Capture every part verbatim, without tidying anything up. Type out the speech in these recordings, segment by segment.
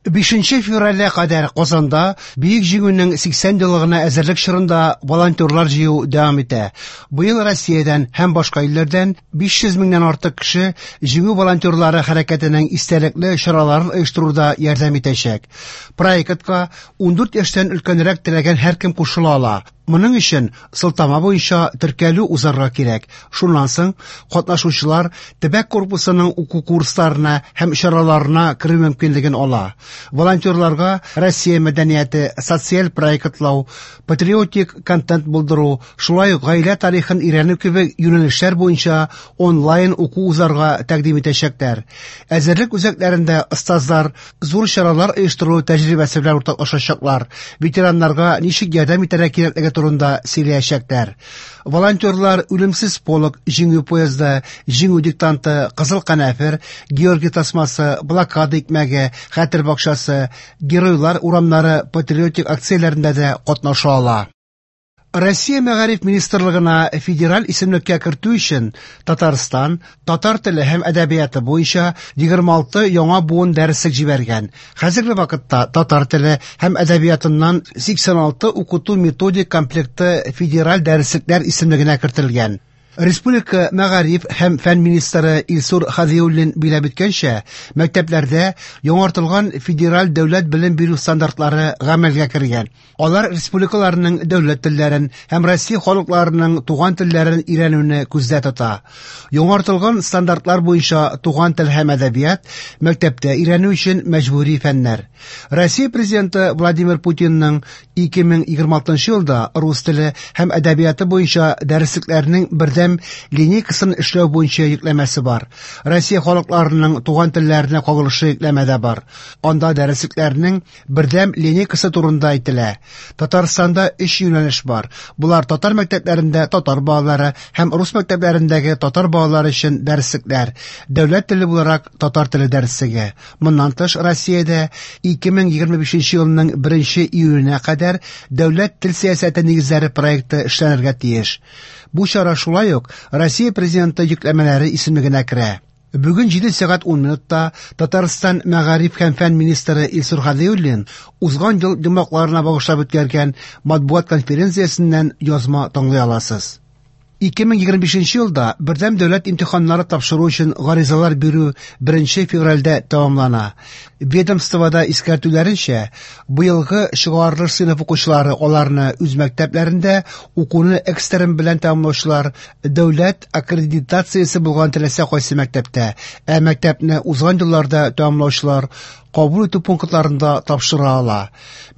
Бишенче февральгә кадәр Казанда Бөек Җиңүнең сиксән еллыгына әзерлек чорында волонтерлар җыю дәвам итә. Быел Россиядән һәм башка илләрдән биш йөз меңнән артык кеше Җиңү волонтерлары хәрәкәтенең истәлекле чараларын оештыруда ярдәм итәчәк. Проектка ундүрт яшьтән өлкәнрәк теләгән һәркем кушыла ала. Моның өчен сылтама буенча теркәлү узарга кирәк. Шуннан соң катнашучылар төбәк корпусының уку курсларына һәм чараларына керү мөмкинлеген ала. Волонтерларга Россия мәдәнияте, социаль проектлау, патриотик контент булдыру, шулай ук гаилә тарихын өйрәнү кебек юнәлешләр буенча онлайн уку узарга тәкъдим итәчәкләр. Әзерлек үзәкләрендә остазлар зур чаралар оештыру тәҗрибәсе белән уртаклашачаклар. Ветераннарга ничек ярдәм итәргә кирәклеге турында сөйләячәкләр. Волонтерлар Үлемсез полк, Җиңү поезды, Җиңү диктанты, Кызыл канәфер, Георгий тасмасы, блокада икмәге, Хәтер бакчасы, Геройлар урамнары патриотик акцияләрендә дә катнаша ала. Россия Мәгариф министрлыгына федераль исемлеккә кертү өчен Татарстан татар теле һәм әдәбияты буенча егерме алты яңа буын дәреслек җибәргән. Хәзерге вакытта татар теле һәм әдәбиятыннан сиксән алты укыту методик комплекты федераль дәреслекләр исемлегенә кертелгән. Республика Мәгариф һәм фән министры Илсур Хадиуллин билгеләп үткәнчә, мәктәпләрдә яңартылган федераль дәүләт белем бирү стандартлары гамәлгә кергән. Алар республикаларның дәүләт телләрен һәм Россия халыкларының туган телләрен өйрәнүне күздә тота. Яңартылган стандартлар буенча туган тел һәм әдәбият мәктәптә өйрәнү өчен мәҗбүри фәннәр. Россия президенты Владимир Путинның ике мең егерме алтынчы елда рус теле һәм әдәбияты буенча дәреслекләрнең бердәм линейкасын эшләү буенча йөкләмәсе бар. Россия халыкларының туган телләренә кагылышы йөкләмә дә бар. Анда дәреслекләрнең бердәм линейкасы турында әйтелә. Татарстанда өч юнәлеш бар. Булар татар мәктәпләрендә татар балалары һәм рус мәктәпләрендәге татар балалары өчен дәреслекләр, дәүләт теле буларак татар теле дәреслеге. Моннан тыш, Россиядә ике мең егерме бишенче елның беренче июленә кадәр дәүләт тел сәясәте нигезләре проекты эшләнергә тиеш. Бу чара шулай ук Россия президенты йөкләмәләре исемлегенә керә. Бүген җиде сәгать ун минутта Татарстан Мәгариф һәм фән министры Илсур Хадиуллин узган ел йомгакларына багышлап үткәргән матбугат конференциясеннән язма тыңлый аласыз. Ике мең егерме бишенче елда бердәм дәүләт имтиханнары тапшыру өчен гаризалар бирү беренче февральдә тәмамлана. Ведомствода искәртүләренчә, быелгы чыгарылыш сыйныф укучылары аларны үз мәктәпләрендә укуны экстерн белән тәмамлаучылар дәүләт аккредитациясе булган теләсә кайсы мәктәптә, ә мәктәпне узган елларда тәмамлаучылар кабул итү пунктларында тапшыра ала.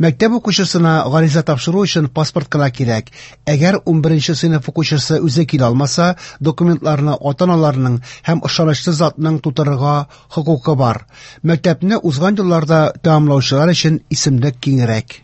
Мәктәп укучысына гариза тапшыру өчен паспорт кына кирәк. Әгәр унберенче сыйныф укучысы үзе килә алмаса, документларны ата-аналарның һәм ышанычлы затның тутырырга хокукы бар. Мәктәпне узган елларда тәмамлаучылар өчен исемлек киңрәк.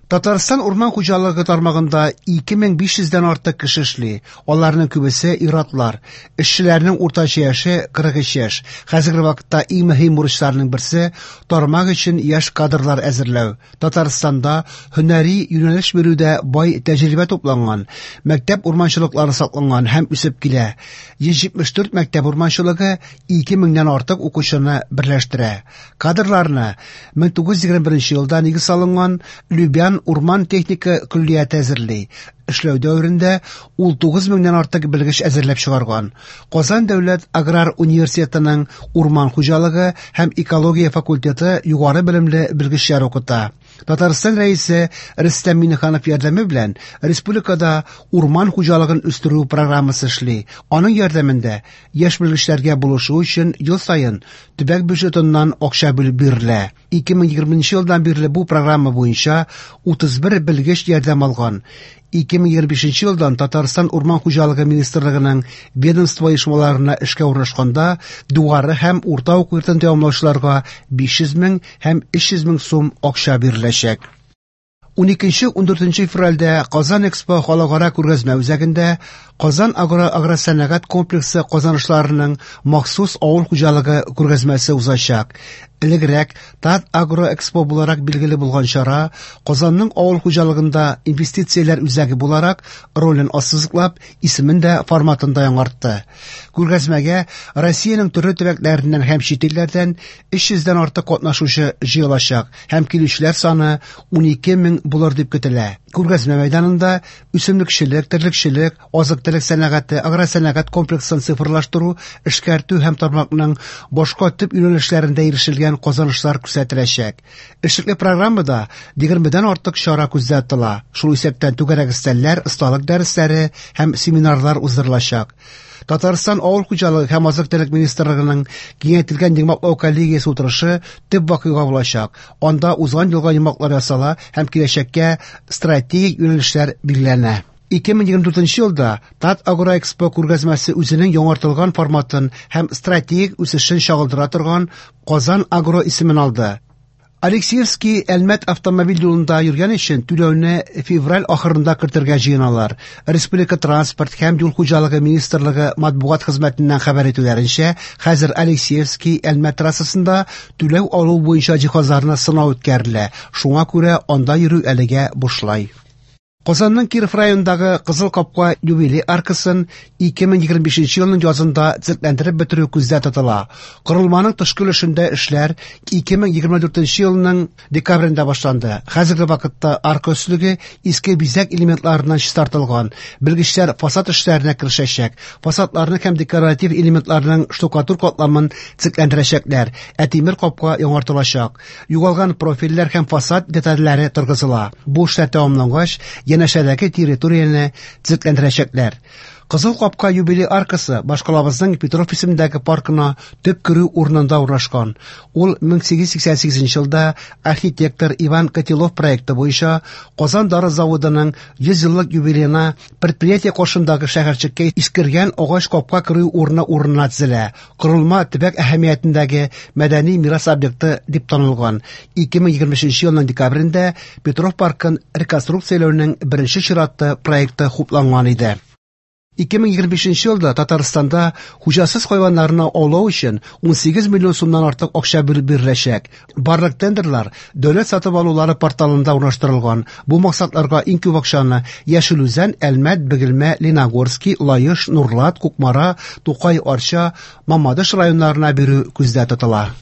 Татарстан урман хуҗалыгы тармагында ике мең биш йөздән артык кеше эшли. Аларның күбесе ир-атлар. Эшчеләрнең уртача яше кырык өч яшь. Хәзерге вакытта иң мөһим бурычларның берсе тармак өчен яшь кадрлар әзерләү. Татарстанда һөнәри юнәлеш бирүдә бай тәҗрибә тупланган, мәктәп урманчылыклары сакланган һәм үсеп килә. Йөз җитмеш дүрт мәктәп урманчылыгы ике меңнән артык укучыны берләштерә. Кадрларны мең тугыз йөз егерме беренче елда нигез салынган Любян урман техника көллияте әзерли. Эшләү дәверендә ул тугыз меңнән артык белгеч әзерләп чыгарган. Казан дәүләт аграр университетының урман хуҗалыгы һәм экология факультеты югары белемле белгечләр укыта. Татарстан рәисе Рөстәм Миңнеханов ярдәме белән республикада урман хуҗалыгын үстерү программасы эшли. Аның ярдәмендә яшь белгечләргә булышу өчен ел саен төбәк бюджетыннан акча бүлеп бирелә. Ике мең егерменче елдан бирле бу программа буенча утыз бер белгеч ярдәм алган. Ике мең егерме бишенче елдан Татарстан Урман хуҗалыгы министрлыгының ведомство оешмаларына эшкә урнашканда югары һәм урта уку йортын тәмамлаучыларга биш йөз мең һәм өч йөз мең сум акча биреләчәк. Уникенче ундүртенче февральдә Казан Экспо халыкара күргәзмә үзәгендә Казан агро агросәнәгать комплексы казанышларының махсус авыл хуҗалыгы күргәзмәсе узачак. Элегрәк Татагроэкспо буларак билгеле булган чара Казанның авыл хуҗалыгында инвестицияләр үзәге буларак ролен ассызыклап, исемен дә, форматын да яңартты. Күргәзмәгә Россиянең төрле төбәкләреннән һәм чит илләрдән өч йөздән артык катнашучы җыелачак һәм килүчеләр саны унике мең булыр дип көтелә. Күргәзмә мәйданында үсемлекчелек, терлекчелек, азык-төлек сәнәгате, агросәнәгать комплексын цифрлаштыру, эшкәртү һәм тармакның башка төп юнәлешләрендә ирешелгән казанышлар күрсәтеләчәк. Эшлекле программада егермедән артык чара күздә тотыла. Шул исәптән түгәрәк өстәлләр, осталык дәресләре һәм семинарлар уздырылачак. Татарстан Авыл хуҗалыгы һәм азык-төлек министрлыгының киңәйтелгән йомгаклау коллегиясе утырышы төп вакыйга булачак. Анда узган елга йомгаклар ясала һәм киләчәккә стратегик юнәлешләр билгеләнә. ике мең егерме дүртенче елда Татагроэкспо күргәзмәсе үзенең яңартылган форматын һәм стратегик үсешен чагылдыра торган Казан Агро исемен алды. Алексеевский Әлмәт автомобиль юлында йөргән өчен түләүне февраль ахырында кертергә җыеналар. Республика транспорт һәм юл хуҗалыгы министрлыгы матбугат хезмәтеннән хәбәр итүләренчә, хәзер Алексеевский Әлмәт трассасында түләү алу буенча җиһазларны сынау үткәрелә. Шуңа күрә анда йөрү әлегә бушлай. Казанның Киров районындагы Кызыл Капка юбилей аркасын ике мең егерме бишенче елның язында төзекләндереп бетерү күздә тотыла. Корылманың тышкы өлешендә эшләр ике мең егерме дүртенче елның декабрендә башланды. Хәзерге вакытта арка өслеге иске бизәк элементларыннан чистартылган. Белгечләр фасад эшләренә керешәчәк. Фасадларны һәм декоратив элементларның штукатур катламын төзекләндерәчәкләр, ә тимер капка яңартылачак. Югалган профильләр һәм фасад детальләре торгызыла. Бу эшләр тәмамлангач, янәшәдәге территорияне төзекләндерәчәкләр. Кызыл Капка юбилей аркасы башкалабызның Петров исемендәге паркына төп керү урынында урнашкан. Ул мең сигез йөз сиксән сигезенче елда архитектор Иван Котелов проекты буенча Казан дары заводының йөз еллык юбилеена предприятие каршындагы шәһәрчеккә искергән агач капка керү урыны урынына төзелә. Корылма төбәк әһәмиятендәге мәдәни мирас объекты дип танылган. ике мең егерме өченче елның декабрендә Петров паркын реконструкцияләүнең беренче чиратты проекты хупланган иде. ике мең егерме бишенче елда Татарстанда хуҗасыз хайваннарны аулау өчен ун сигез миллион сумнан артык акча бүлеп биреләчәк. Барлык тендерлар дәүләт сатып алулары порталында урнаштырылган. Бу максатларга иң күп акчаны Яшел Үзән, Әлмәт, Бөгелмә, Лениногорский, Лаеш, Нурлат, Кукмара, Тукай, Арча, Мамадыш районнарына бирү күздә тотыла.